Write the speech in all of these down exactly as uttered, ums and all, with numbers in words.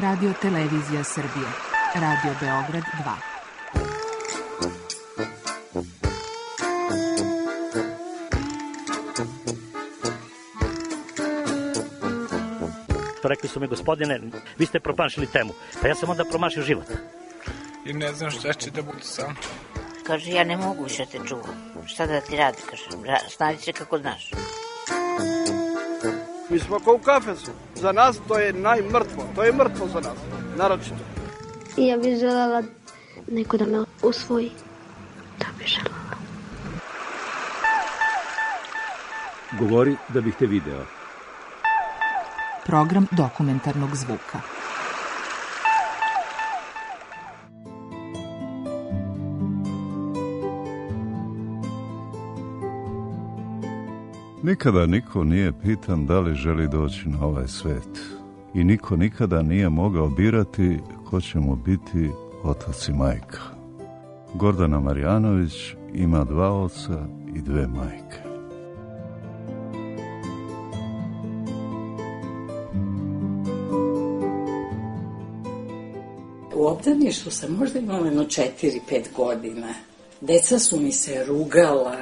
Radio Televizija Srbije. Radio Beograd dva. Rekli su mi, gospodine, vi ste promašili temu. Pa ja sam onda promašio život. I ne znam šta će da bude sam. Kaže, ja ne mogu više te čuvam. Šta da ti radi, kaže, snađi se kako znaš. Mi smo kao u kafesu. Za nas to je najmrtvo. To je mrtvo za nas, naročito. I ja bih želela neko da me usvoji. Da bih želela. Govori da bih te video. Program dokumentarnog zvuka. Nikada niko nije pitan da li želi doći na ovaj svet. I niko nikada nije mogao birati ko će mu biti otac i majka. Gordana Marjanović ima dva oca i dve majke. U obdaništvu sam možda imala jedno četiri, pet godina. Deca su mi se rugala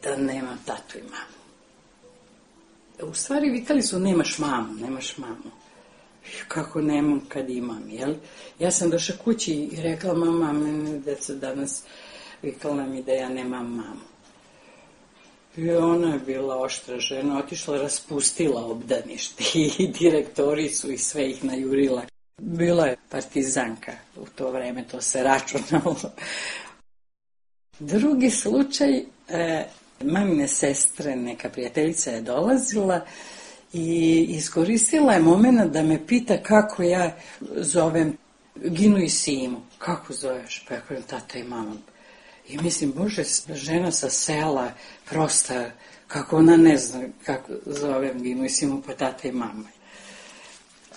da nemam tatu i mamu. U stvari vikali su nemaš mamu, nemaš mamu. Kako nemam kad imam, jel? Ja sam došla kući i rekla mama, mene deca danas vikala mi da ja nemam mamu. I ona je bila oštra žena, otišla, raspustila obdanište i direktoricu i sve ih najurila. Bila je partizanka u to vreme, to se računalo. Drugi slučaj, e, mamine sestre, neka prijateljica je dolazila i iskoristila je moment da me pita kako ja zovem Ginu i Simu. Kako zoveš? Pa ja kažem tata i mama. I mislim, bože, žena sa sela, prosta, kako ona ne zna kako zovem Ginu i Simu, pa tata i mama.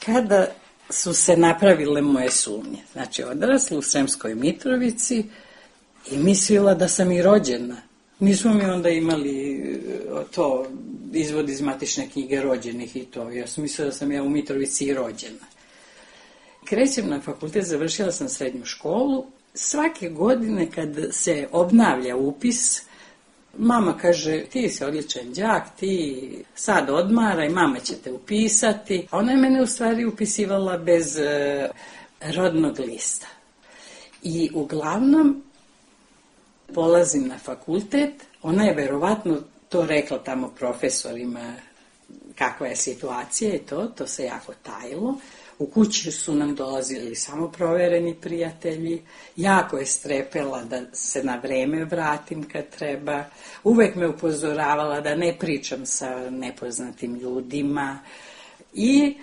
Kada su se napravile moje sumnje. Znači, odrasla u Sremskoj Mitrovici i mislila da sam i rođena. Nismo mi onda imali to, izvod iz matične knjige rođenih i to. Ja sam mislila da sam ja u Mitrovici i rođena. Krećem na fakultet, završila sam srednju školu. Svake godine kad se obnavlja upis, mama kaže, ti si odličan đak, ti sad odmaraj, mama će te upisati. A ona je mene u stvari upisivala bez e, rodnog lista. I uglavnom polazim na fakultet, ona je verovatno to rekla tamo profesorima kakva je situacija i to, to se jako tajilo. U kući su nam dolazili samo provereni prijatelji, jako je strepela da se na vreme vratim kad treba, uvek me upozoravala da ne pričam sa nepoznatim ljudima i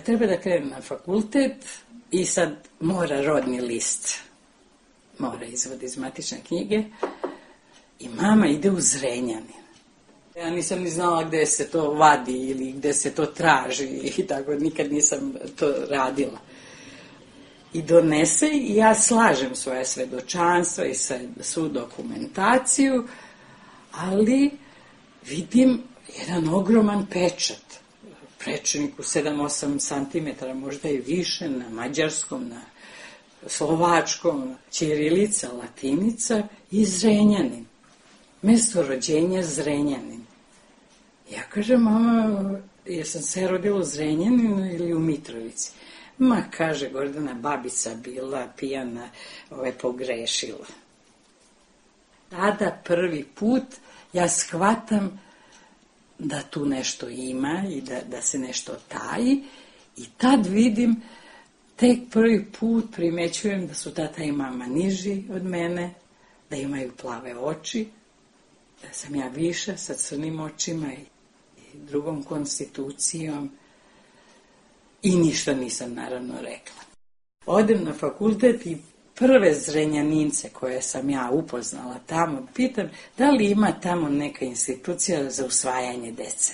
treba da krenem na fakultet i sad mora rodni list, mora izvod iz matične knjige i mama ide u Zrenjanin. Ja nisam ni znala gde se to vadi ili gde se to traži i tako, nikad nisam to radila. I donese i ja slažem svoje svedočanstva i svu dokumentaciju, ali vidim jedan ogroman pečat. Prečnik u sedam osam santimetara, možda i više, na mađarskom, na slovačkom, ćirilica, latinica i Zrenjanin. Mesto rođenja Zrenjanin. Ja kažem, mama, jesam se rodila u Zrenjaninu ili u Mitrovici? Ma, kaže, Gordana, babica bila pijana, ove, pogrešila. Tada prvi put ja shvatam da tu nešto ima i da, da se nešto taji i tad vidim, tek prvi put primećujem da su tata i mama niži od mene, da imaju plave oči, da sam ja viša sa crnim očima i drugom konstitucijom i ništa nisam naravno rekla. Odem na fakultet i prve Zrenjanince koje sam ja upoznala tamo, pitam da li ima tamo neka institucija za usvajanje dece.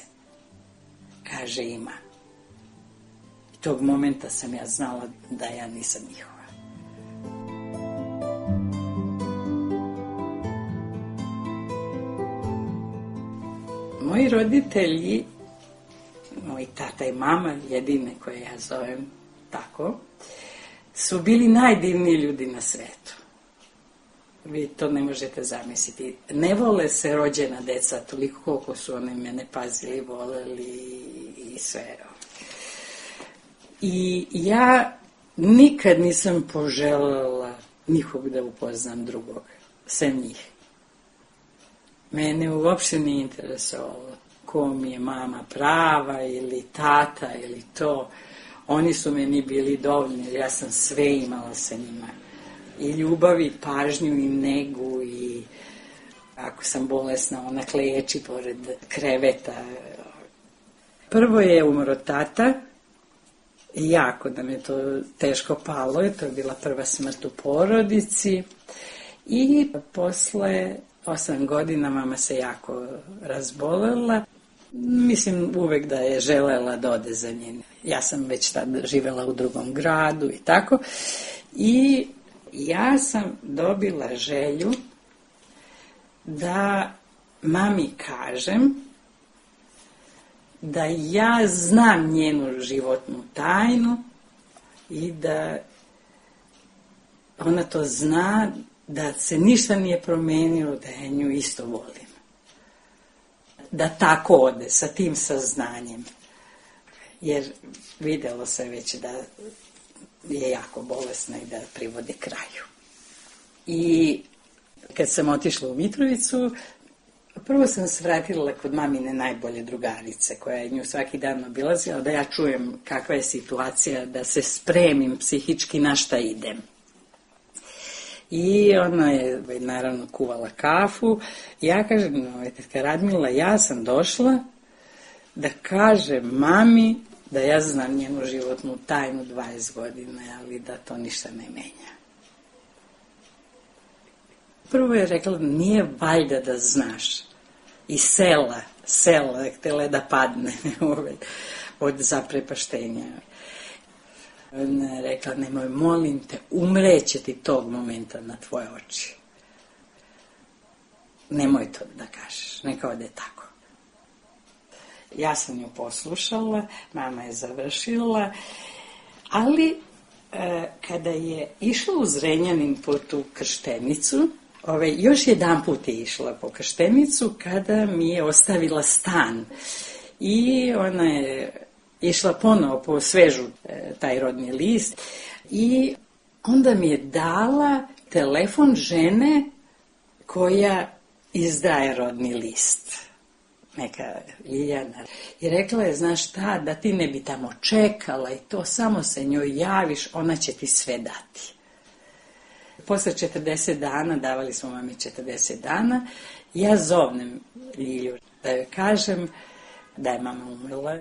Kaže ima. I tog momenta sam ja znala da ja nisam njihova. Moji roditelji, moj tata i mama, jedine koje ja zovem tako, su bili najdivniji ljudi na svetu. Vi to ne možete zamisliti. Ne vole se rođena deca toliko koliko su oni mene pazili, voleli i sve. I ja nikad nisam poželjela nikog da upoznam drugog, sem njih. Mene uopšte nije interesovalo ko mi je mama prava ili tata ili to. Oni su meni bili dovoljni, ja sam sve imala sa njima. I ljubav, i pažnju, i negu, i ako sam bolesna, ona kleči pored kreveta. Prvo je umro tata, i jako da me to teško palo, to je bila prva smrt u porodici. I posle osam godina mama se jako razbolela. Mislim uvek da je želela da ode za njen. Ja sam već tad živela u drugom gradu i tako. I ja sam dobila želju da mami kažem da ja znam njenu životnu tajnu i da ona to zna, da se ništa nije promenilo, da ja nju isto volim. Da tako ode, sa tim saznanjem. Jer videlo se već da je jako bolesna i da privode kraju. I kad sam otišla u Mitrovicu, prvo sam se vratila kod mamine najbolje drugarice, koja je nju svaki dan obilazila, da ja čujem kakva je situacija, da se spremim psihički na šta idem. I ona je naravno kuvala kafu. Ja kažem, tetka Radmila, ja sam došla da kažem mami da ja znam njenu životnu tajnu dvadeset godina, ali da to ništa ne menja. Prvo je rekla, nije valjda da znaš. I sela, sela, htjela da padne od zaprepaštenja. Ona je rekla, nemoj, molim te, umreće ti tog momenta na tvoje oči. Nemoj to da kažeš, neka ode tako. Ja sam nju poslušala, mama je završila, ali e, kada je išla u Zrenjanin po tu krštenicu, ove, još jedan put je išla po krštenicu kada mi je ostavila stan. I ona je išla ponovo po svežu e, taj rodni list i onda mi je dala telefon žene koja izdaje rodni list. Neka Ljiljana. I rekla je, znaš šta, da ti ne bi tamo čekala i to, samo se njoj javiš, ona će ti sve dati. Posle četrdeset dana, davali smo mami četrdeset dana, ja zovnem Ljilju da joj kažem da je mama umrla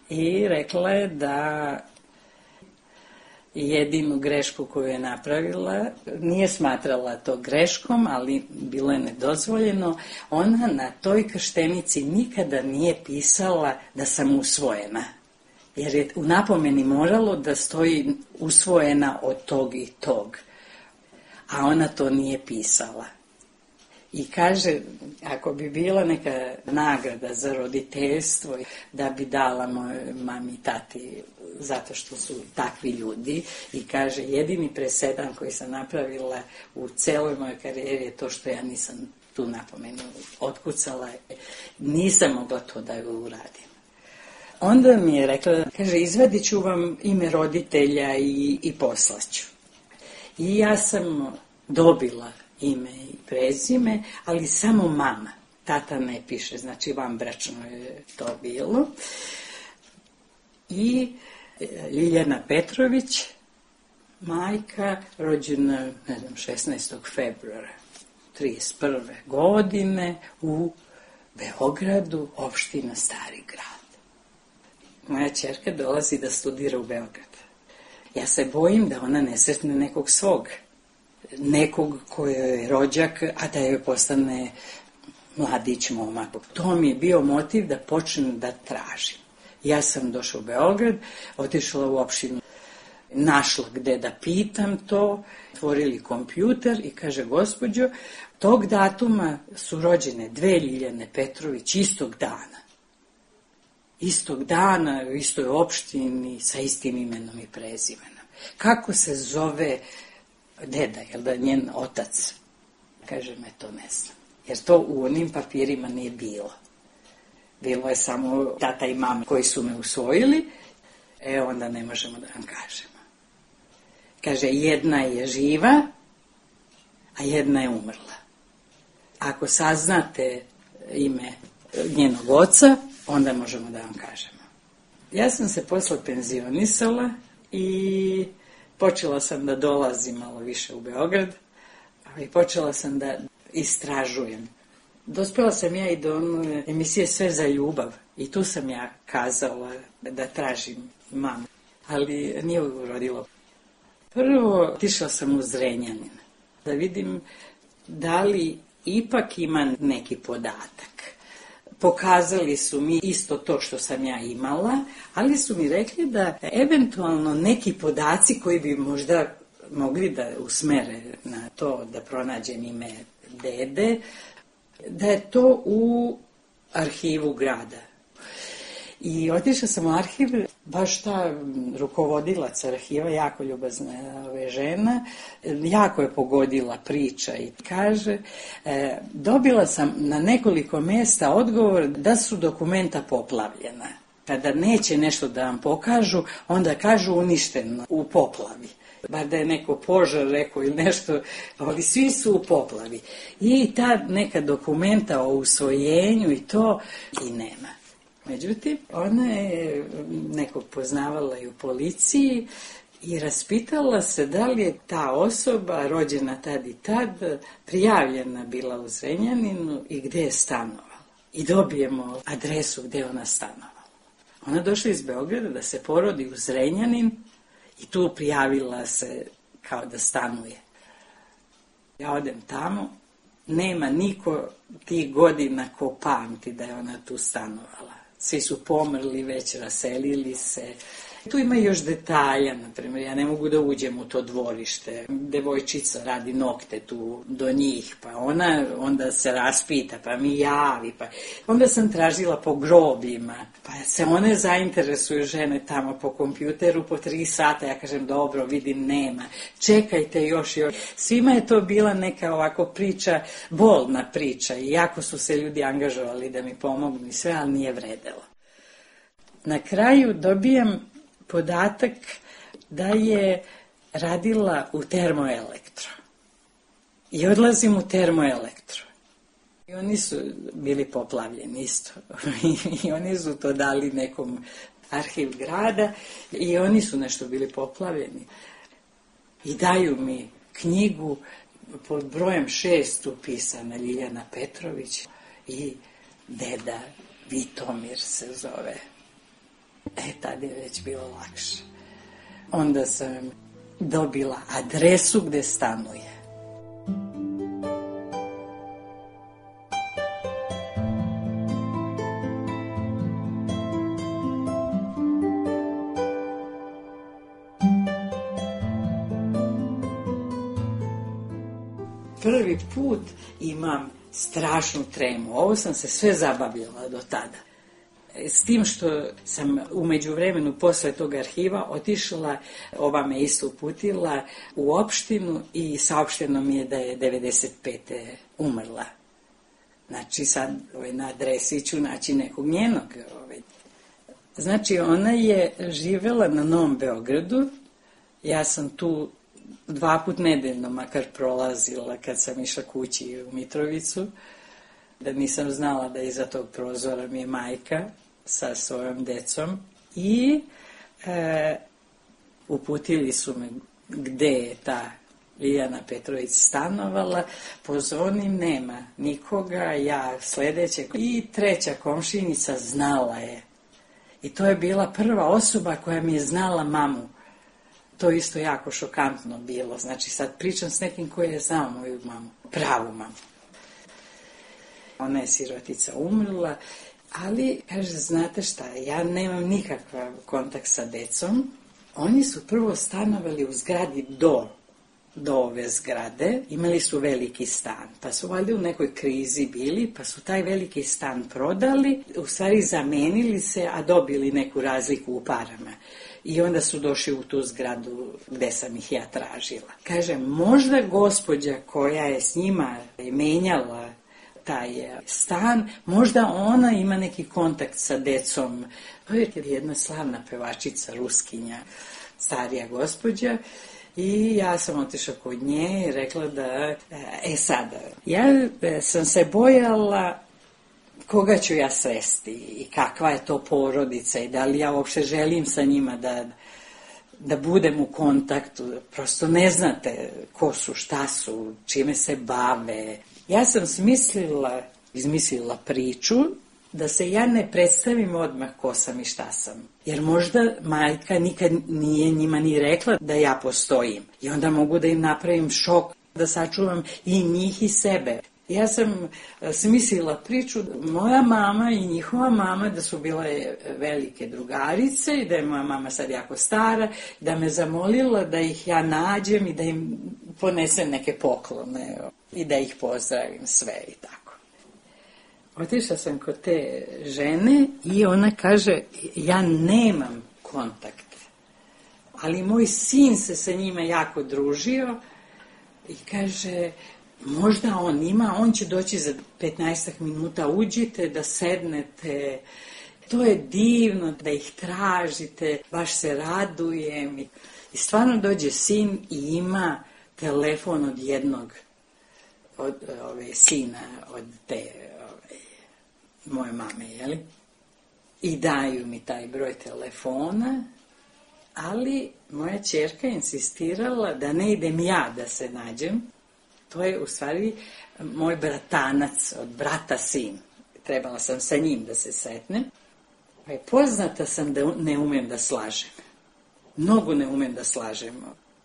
i rekla je da jedinu grešku koju je napravila, nije smatrala to greškom, ali bilo je nedozvoljeno, ona na toj krštenici nikada nije pisala da sam usvojena. Jer je u napomeni moralo da stoji usvojena od tog i tog. A ona to nije pisala. I kaže, ako bi bila neka nagrada za roditeljstvo, da bi dala moj mami i tati, zato što su takvi ljudi. I kaže, jedini presedan koji sam napravila u celoj mojoj karijeri je to što ja nisam tu napomenu otkucala. Nisam mogla to da joj uradim. Onda mi je rekla, kaže, izvadit ću vam ime roditelja i, i poslaću. I ja sam dobila ime i prezime, ali samo mama. Tata ne piše, znači vanbračno je to bilo. I Ljiljana Petrović, majka, rođena, ne znam, šesnaestog februara trideset prve godine u Beogradu, opština Stari grad. Moja ćerka dolazi da studira u Beograd. Ja se bojim da ona ne sretne nekog svog, nekog koji je rođak, a da joj postane mladić, momak. To mi je bio motiv da počnem da tražim. Ja sam došla u Beograd, otišla u opštinu, našla gde da pitam to, otvorili kompjuter i kaže, gospođo, tog datuma su rođene dve Ljiljane Petrović istog dana. istog dana, u istoj opštini, sa istim imenom i prezimenom. Kako se zove deda, jel da njen otac? Kaže, me to ne znam. Jer to u onim papirima nije bilo. Bilo je samo tata i mama koji su me usvojili, e onda ne možemo da vam kažemo. Kaže, jedna je živa, a jedna je umrla. Ako saznate ime njenog oca, onda možemo da vam kažemo. Ja sam se posle penzionisala i počela sam da dolazim malo više u Beograd i počela sam da istražujem. Dospela sam ja i do one emisije Sve za ljubav i tu sam ja kazala da tražim mamu, ali nije urodilo. Prvo otišla sam u Zrenjanin da vidim da li ipak ima neki podatak. Pokazali su mi isto to što sam ja imala, ali su mi rekli da eventualno neki podaci koji bi možda mogli da usmere na to da pronađem ime dede, da je to u arhivu grada. I otišla sam u arhiv, baš ta rukovodilac arhiva, jako ljubazna ove žena, jako je pogodila priča i kaže, e, dobila sam na nekoliko mjesta odgovor da su dokumenta poplavljena. Kada neće nešto da vam pokažu, onda kažu uništeno u poplavi. Bar da je neko požar rekao ili nešto, ali svi su u poplavi. I ta neka dokumenta o usvojenju i to i nema. Međutim, ona je nekog poznavala i u policiji i raspitala se da li je ta osoba rođena tad i tad prijavljena bila u Zrenjaninu i gde je stanovala. I dobijemo adresu gde ona stanovala. Ona došla iz Beograda da se porodi u Zrenjanin i tu prijavila se kao da stanuje. Ja odem tamo, nema niko tih godina ko pamti da je ona tu stanovala. Svi su pomrli, već raselili se. Tu ima još detalja, na primjer, ja ne mogu da uđem u to dvorište. Devojčica radi nokte tu do njih, pa ona onda se raspita, pa mi javi. Pa onda sam tražila po grobljima, pa se one zainteresuju žene tamo po kompjuteru po tri sata. Ja kažem, dobro, vidim, nema. Čekajte još, još. Svima je to bila neka ovako priča, bolna priča i jako su se ljudi angažovali da mi pomognu i sve, ali nije vredelo. Na kraju dobijam podatak da je radila u Termoelektro. I odlazim u Termoelektro. I oni su bili poplavljeni isto. I oni su to dali nekom arhiv grada i oni su nešto bili poplavljeni. I daju mi knjigu pod brojem šest upisana Ljiljana Petrović i deda Vitomir se zove. E, tad je već bilo lakše. Onda sam dobila adresu gde stanuje. Prvi put imam strašnu tremu. Ovo sam se sve zabavljala do tada. S tim što sam u međuvremenu posle tog arhiva otišla, ova me isto uputila u opštinu i saopšteno mi je da je devedeset pete umrla. Znači sad ovaj, na adresi ću naći nekog njenog. Ovaj. Znači ona je živela na Novom Beogradu, ja sam tu dva put nedeljno makar prolazila kad sam išla kući u Mitrovicu, da nisam znala da iza tog prozora mi je majka sa svojom decom i e, uputili su me gde je ta Ljiljana Petrović stanovala, pozvonim, nema nikoga, ja sledeće i treća komšinica znala je. I to je bila prva osoba koja mi je znala mamu. To isto jako šokantno bilo, znači sad pričam s nekim koji je znao moju mamu, pravu mamu. Ona je sirotica umrla, ali, kaže, znate šta, ja nemam nikakav kontakt sa decom. Oni su prvo stanovali u zgradi do do ove zgrade, imali su veliki stan, pa su valjda u nekoj krizi bili, pa su taj veliki stan prodali, u stvari zamenili se, a dobili neku razliku u parama. I onda su došli u tu zgradu gde sam ih ja tražila. Kaže, možda gospođa koja je s njima menjala taj stan, možda ona ima neki kontakt sa decom. To je jedna slavna pevačica, Ruskinja, starija gospođa, i ja sam otišla kod nje i rekla da, e sada, ja sam se bojala koga ću ja sresti i kakva je to porodica i da li ja uopšte želim sa njima da, da budem u kontaktu. Prosto ne znate ko su, šta su, čime se bave. Ja sam smislila, izmislila priču da se ja ne predstavim odmah ko sam i šta sam. Jer možda majka nikad nije njima ni rekla da ja postojim. I onda mogu da im napravim šok, da sačuvam i njih i sebe. Ja sam smislila priču, moja mama i njihova mama, da su bile velike drugarice i da je moja mama sad jako stara, da me zamolila da ih ja nađem i da im ponesem neke poklone i da ih pozdravim sve i tako. Otišla sam kod te žene i ona kaže, ja nemam kontakte, ali moj sin se sa njima jako družio i kaže, možda on ima, on će doći za petnaestak minuta, uđite da sednete, to je divno da ih tražite, baš se radujem. I stvarno dođe sin i ima telefon od jednog, od ove sina, od te ove, moje mame, jeli? I daju mi taj broj telefona, ali moja ćerka insistirala da ne idem ja da se nađem. To je u stvari moj bratanac, od brata sin. Trebala sam sa njim da se setnem. Poznata sam da ne umem da slažem. Mnogo ne umem da slažem.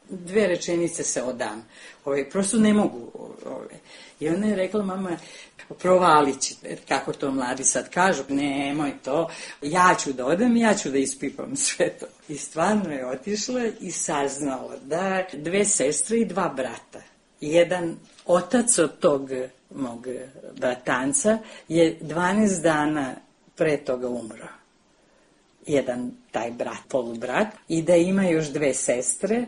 Dve rečenice se odam. Ove, prosto ne mogu. Ove. I ona je rekla, mama, provalit će. Kako to mladi sad kažu, nemoj to. Ja ću da odem, ja ću da ispipam sve to. I stvarno je otišla i saznala da dve sestre i dva brata. Jedan otac od tog mog bratanca je dvanaest dana pre toga umro. Jedan taj brat, polubrat, i da ima još dve sestre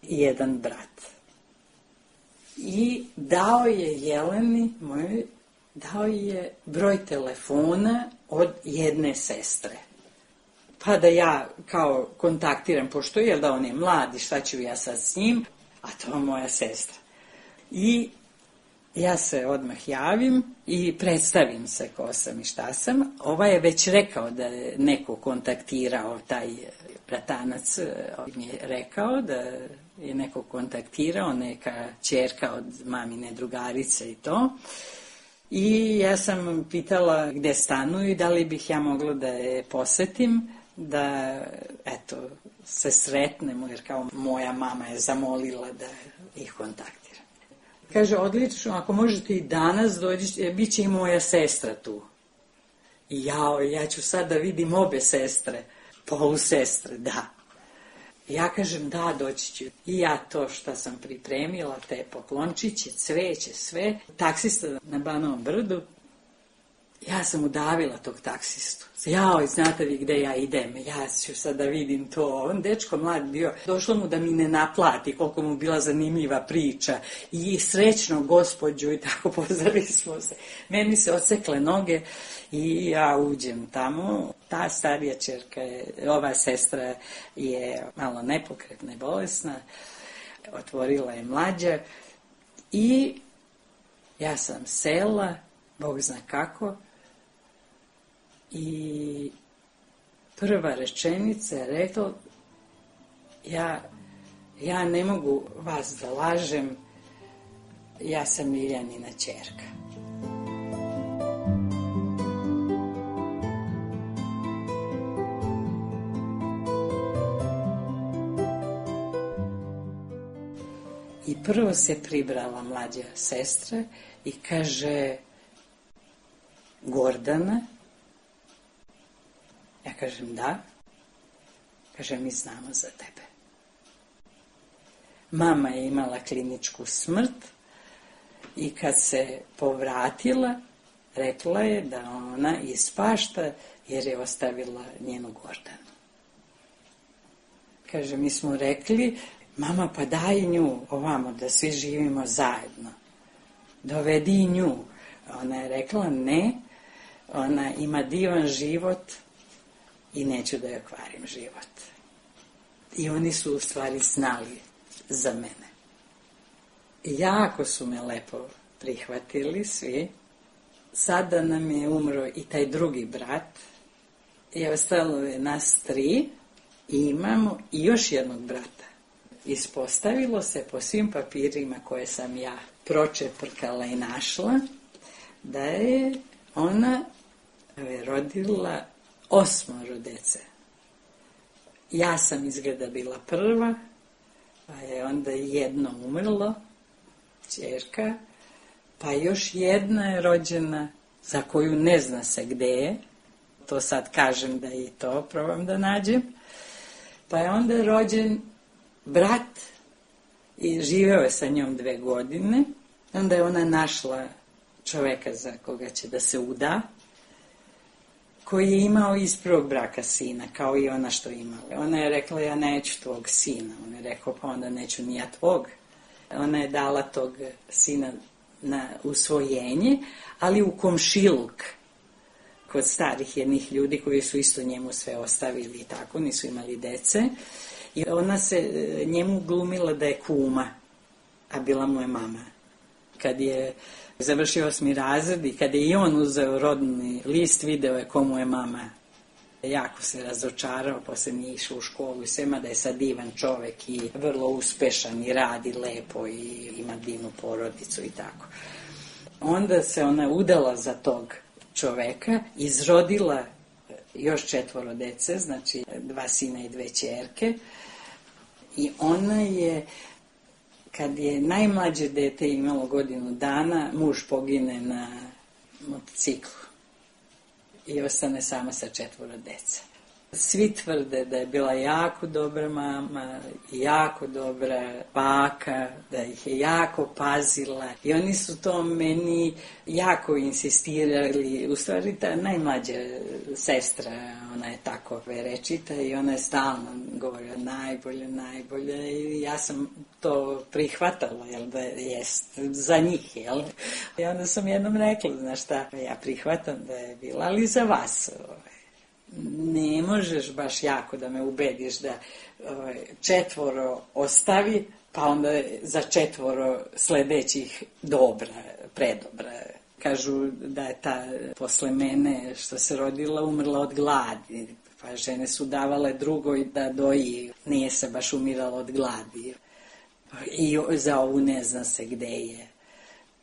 i jedan brat. I dao je Jeleni, moj, dao je broj telefona od jedne sestre. Pa da ja kao kontaktiram, pošto je da on je mlad i šta ću ja sad s njim, a to je moja sestra. I ja se odmah javim i predstavim se ko sam i šta sam. Ovaj je već rekao da je neko kontaktirao, taj bratanac mi je rekao da je neko kontaktirao, neka ćerka od mamine drugarice i to. I ja sam pitala gde stanuju i da li bih ja mogla da je posetim, da eto, se sretnemo, jer kao moja mama je zamolila da ih kontaktira. Kaže, odlično, ako možete i danas dođi, bit će i moja sestra tu. I jao, ja ću sad da vidim obe sestre, polusestre, da. Ja kažem, da, doći ću. I ja to što sam pripremila, te poklončiće, cveće, sve. Taksista na Banovom brdu, ja sam udavila tog taksistu. Jao, znate vi gde ja idem, ja ću sad da vidim to. On dečko mlad bio, došlo mu da mi ne naplati koliko mu bila zanimljiva priča i srećno gospođu i tako pozdravili smo se. Meni se odsekle noge i ja uđem tamo. Ta starija ćerka, je, ova sestra je malo nepokretna i bolesna, otvorila je mlađa i ja sam sela, Bog zna kako, i prva rečenica je rekla, ja, ja ne mogu vas da lažem, ja sam Miljanina ćerka. I prvo se pribrala mlađa sestra i kaže, Gordana? Ja kažem, da. Kaže, mi znamo za tebe. Mama je imala kliničku smrt i kad se povratila, rekla je da ona ispašta jer je ostavila njenu Gordanu. Kaže, mi smo rekli, mama, pa daj nju ovamo da svi živimo zajedno. Dovedi i nju. Ona je rekla, ne, ona ima divan život i neću da joj kvarim život. I oni su u stvari znali za mene. Jako su me lepo prihvatili svi. Sada nam je umro i taj drugi brat i ostalo je nas tri i imamo i još jednog brata. Ispostavilo se po svim papirima koje sam ja pročeprkala i našla da je ona rodila osmoro dece. Ja sam izgleda bila prva, pa je onda jedno umrlo, ćerka, pa još jedna je rođena za koju ne zna se gde je. To sad kažem da i to probam da nađem. Pa je onda rođen brat i živeo je sa njom dve godine. Onda je ona našla čoveka za koga će da se uda, koji je imao iz prvog braka sina, kao i ona što imala. Ona je rekla, ja neću tvog sina. On je rekao, pa onda neću ni ja tvog. Ona je dala tog sina na usvojenje, ali u komšiluk, kod starih jednih ljudi koji su isto njemu sve ostavili i tako, nisu imali dece. I ona se njemu glumila da je kuma, a bila mu je mama. Kad je završio osmi razred i kad je i on uzeo rodni list, video je komu je mama. Jako se razočarao, posle nije išao u školu i svema da je sad divan čovek i vrlo uspešan i radi lepo i ima divnu porodicu i tako. Onda se ona udala za tog čoveka, izrodila još četvoro dece, znači dva sina i dve ćerke. I ona je, kad je najmlađe dete imalo godinu dana, muž pogine na motociklu i ostane sama sa četvoro dece. Svi tvrde da je bila jako dobra mama, jako dobra baka, da ih je jako pazila i oni su to meni jako insistirali. U stvari ta najmlađa sestra, ona je tako verečita i ona je stalno govorila najbolje, najbolje i ja sam to prihvatala, jel, da jest za njih, jel. I onda sam jednom rekla, znaš šta, ja prihvatam da je bila, ali za vas, ovaj. Ne možeš baš jako da me ubediš da ovaj, četvoro ostavi, pa onda za četvoro sledećih dobra, predobra. Kažu da je ta posle mene što se rodila umrla od gladi, pa žene su davale drugoj da doji, nije se baš umirala od gladi. I za ovu ne zna se gde je.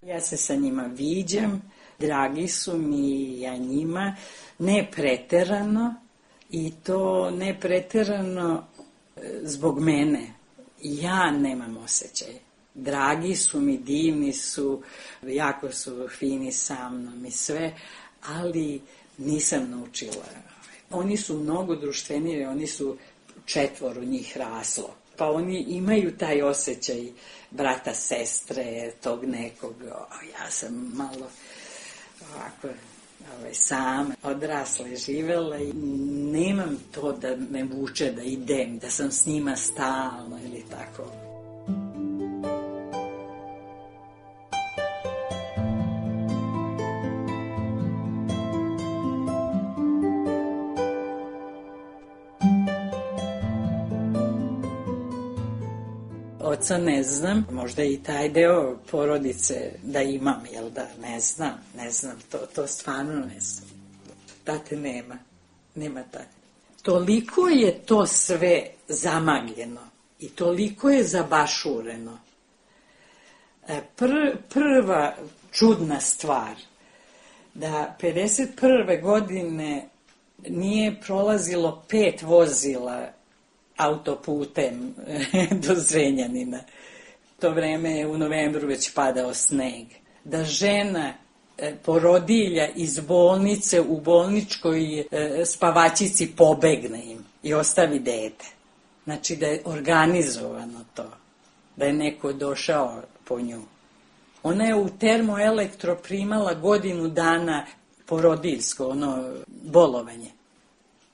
Ja se sa njima viđam, dragi su mi, ja njima, ne preterano i to ne preterano zbog mene. Ja nemam osjećaj. Dragi su mi, divni su, jako su fini sa mnom i sve, ali nisam naučila. Oni su mnogo društveniji, oni su četvoro njih raslo. Pa oni imaju taj osjećaj brata, sestre, tog nekog. Ja sam malo ovako ovaj, sam odrasla i živela i nemam to da me vuče da idem, da sam s njima stalno ili tako. Oca ne znam, možda i taj deo porodice da imam, jel da, ne znam, ne znam, to, to stvarno ne znam. Tate nema, nema tate. Toliko je to sve zamagljeno i toliko je zabašureno. Pr, prva čudna stvar, da pedeset prve godine nije prolazilo pet vozila autoputem do Zrenjanina. To vreme je u novembru već padao sneg. Da žena porodilja iz bolnice u bolničkoj spavačici pobegne im i ostavi dete. Znači da je organizovano to. da je neko došao po nju. Ona je u termoelektro primala godinu dana porodiljsko, ono, bolovanje.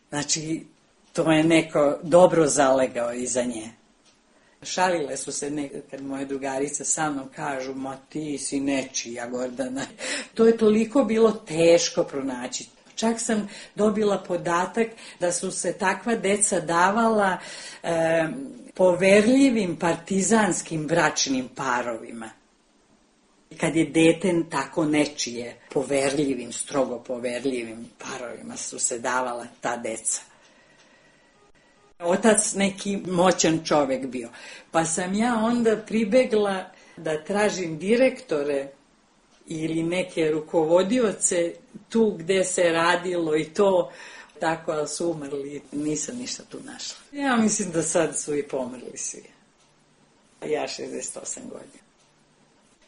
Znači, to je neko dobro zalegao iza nje. Šalile su se nekad moje drugarice sa mnom, kažu, ma ti si nečija, Gordana. To je toliko bilo teško pronaći. Čak sam dobila podatak da su se takva deca davala e, poverljivim partizanskim bračnim parovima. Kad je dete tako nečije, poverljivim, strogo poverljivim parovima su se davala ta deca. Otac neki moćan čovjek bio. Pa sam ja onda pribegla da tražim direktore ili neke rukovodioce tu gde se radilo i to, tako, ali su umrli, nisam ništa tu našla. Ja mislim da sad su i pomrli svi. Ja šezdeset osam godina.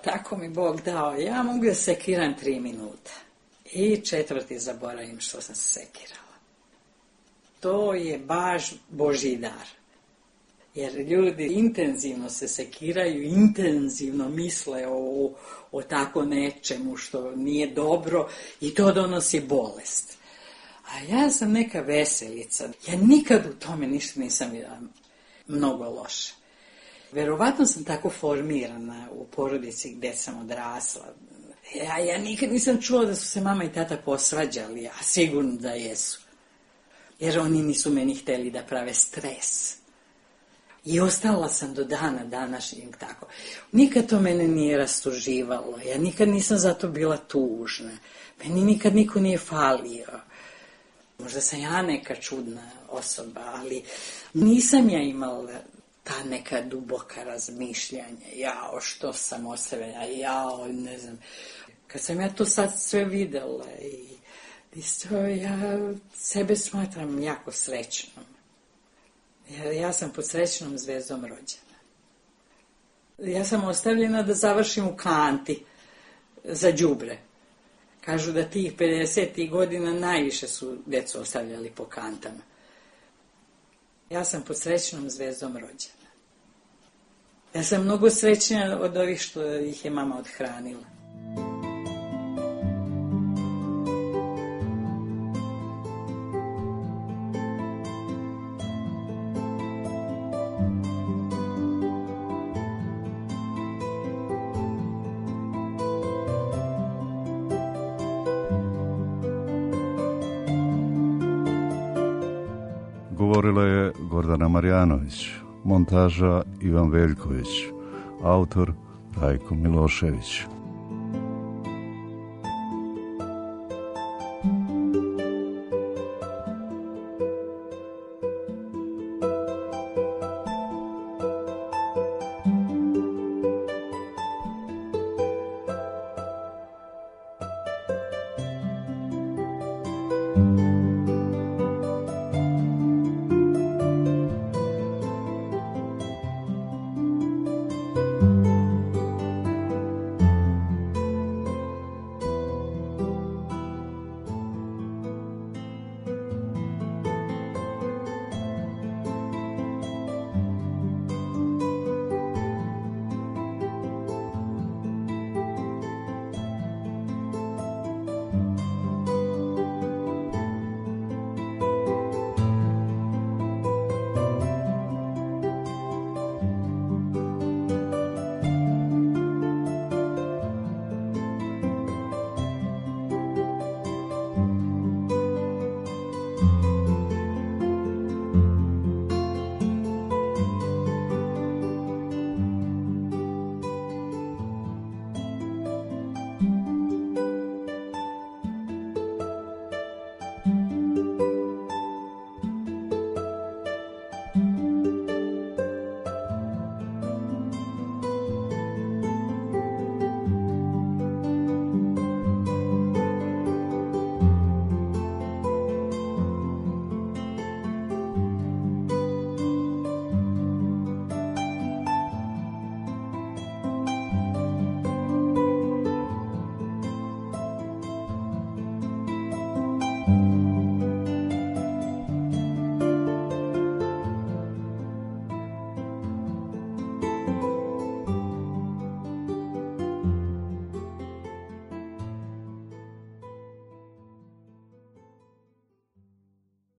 Tako mi Bog dao, ja mogu da sekiram tri minuta. I četvrti zaboravim što sam se sekirala. To je baš Božji dar. Jer ljudi intenzivno se sekiraju, intenzivno misle o, o tako nečemu što nije dobro i to donosi bolest. A ja sam neka veselica. Ja nikad u tome ništa nisam vidjela mnogo loše. Verovatno sam tako formirana u porodici gde sam odrasla. Ja, ja nikad nisam čula da su se mama i tata posvađali, a sigurno da jesu. Jer oni nisu meni hteli da prave stres. I ostala sam do dana današnjeg tako. Nikad to mene nije rastuživalo. Ja nikad nisam zato bila tužna. Meni nikad niko nije falio. Možda sam ja neka čudna osoba, ali nisam ja imala ta neka duboka razmišljanja. Jao, što sam ostavila, jao, ne znam. Kad sam ja to sad sve videla i isto, ja sebe smatram jako srećnom. Ja, ja sam pod srećnom zvezdom rođena. Ja sam ostavljena da završim u kanti za đubre. Kažu da tih pedesetih godina najviše su djecu ostavljali po kantama. Ja sam pod srećnom zvezdom rođena. Ja sam mnogo srećnija od ovih što ih je mama odhranila. Govorila je Gordana Marjanović, montaža Ivan Veljković, autor Rajko Milošević.